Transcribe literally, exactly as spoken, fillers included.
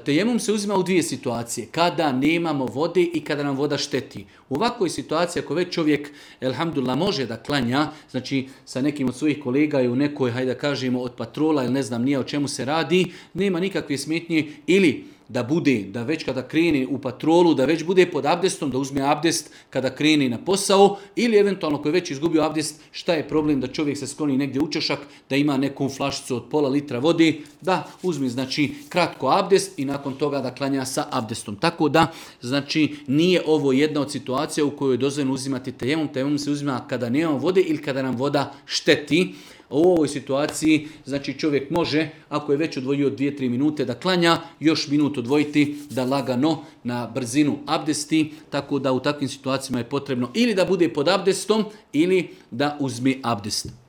tejemum se uzima u dvije situacije. Kada nemamo vode i kada nam voda šteti. U ovakvoj situaciji, ako već čovjek, elhamdulillah, može da klanja, znači sa nekim od svojih kolega i u nekoj, hajde da kažemo, od patrola ili ne znam nije o čemu se radi, nema nikakve smetnje ili da bude, da već kada kreni u patrolu, da već bude pod abdestom, da uzme abdest kada kreni na posao, ili eventualno koji je već izgubio abdest, šta je problem da čovjek se skloni negdje u čošak, da ima neku flašicu od pola litra vode, da uzme znači kratko abdest i nakon toga da klanja sa abdestom. Tako da, znači, nije ovo jedna od situacija u kojoj je dozvoljeno uzimati tejemum. Tejemum se uzima kada nemamo vode ili kada nam voda šteti. U ovoj situaciji, znači čovjek može, ako je već odvojio dvije tri minute da klanja, još minut odvojiti da lagano na brzinu abdesti, tako da u takvim situacijama je potrebno ili da bude pod abdestom ili da uzme abdest.